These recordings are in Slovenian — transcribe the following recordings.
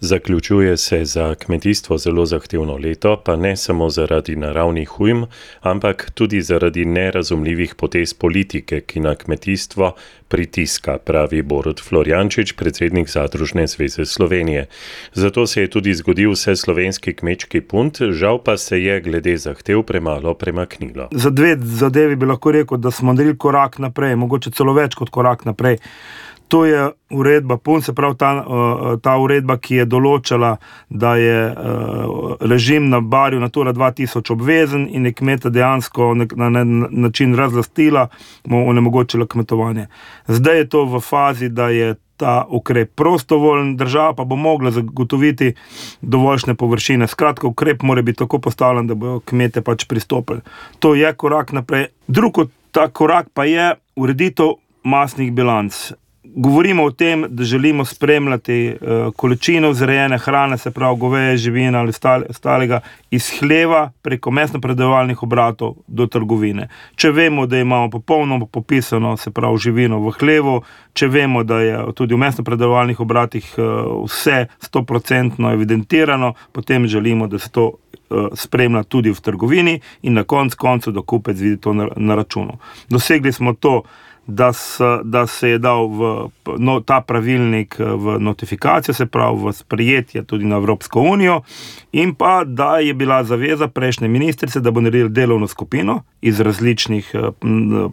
Zaključuje se za kmetijstvo zelo zahtevno leto, pa ne samo zaradi naravnih ujm, ampak tudi zaradi nerazumljivih potez politike, ki na kmetijstvo pritiska, pravi Borut Florjančič, predsednik Zadružne zveze Slovenije. Zato se je tudi zgodil vseslovenski kmečki punt, žal pa se je glede zahtev premalo premaknilo. Za dve zadevi bi lahko rekel, da smo naredili korak naprej, mogoče celo več kot korak naprej. To je uredba PUN, se pravi ta uredba, ki je določala, da je režim na barju Natura 2000 obvezen in je kmeta dejansko na način razlastila, mu onemogočila kmetovanje. Zdaj je to v fazi, da je ta ukrep prostovoljen, država pa bo mogla zagotoviti dovoljšne površine. Skratka, ukrep mora biti tako postavljen, da bodo kmete pač pristopili. To je korak naprej. Drugo, ta korak pa je ureditev masnih bilanc. Govorimo o tem, da želimo spremljati količino vzrejene hrane, se pravi goveje, živine ali ostalega, iz hleva preko mesno-predelovalnih obratov do trgovine. Če vemo, da imamo popolnoma popisano, se pravi živino v hlevu, če vemo, da je tudi v mesno-predelovalnih obratih vse 100% evidentirano, potem želimo, da se to spremlja tudi v trgovini in na koncu, da kupec vidi to na računu. Dosegli smo to, da se je dal ta pravilnik v notifikacijo, se pravi v sprejetje tudi na Evropsko unijo, in pa da je bila zaveza prejšnje ministrice, da bo naredila delovno skupino iz različnih,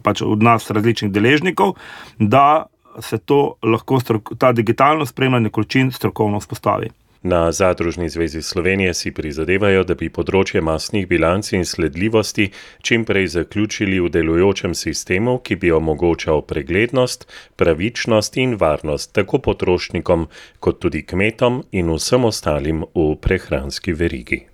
pač od nas različnih deležnikov, da se to lahko ta digitalno spremljanje količin strokovno vzpostavi. Na Zadružni zvezi Slovenije si prizadevajo, da bi področje masnih bilanc in sledljivosti čim prej zaključili v delujočem sistemu, ki bi omogočal preglednost, pravičnost in varnost tako potrošnikom kot tudi kmetom in vsem ostalim v prehranski verigi.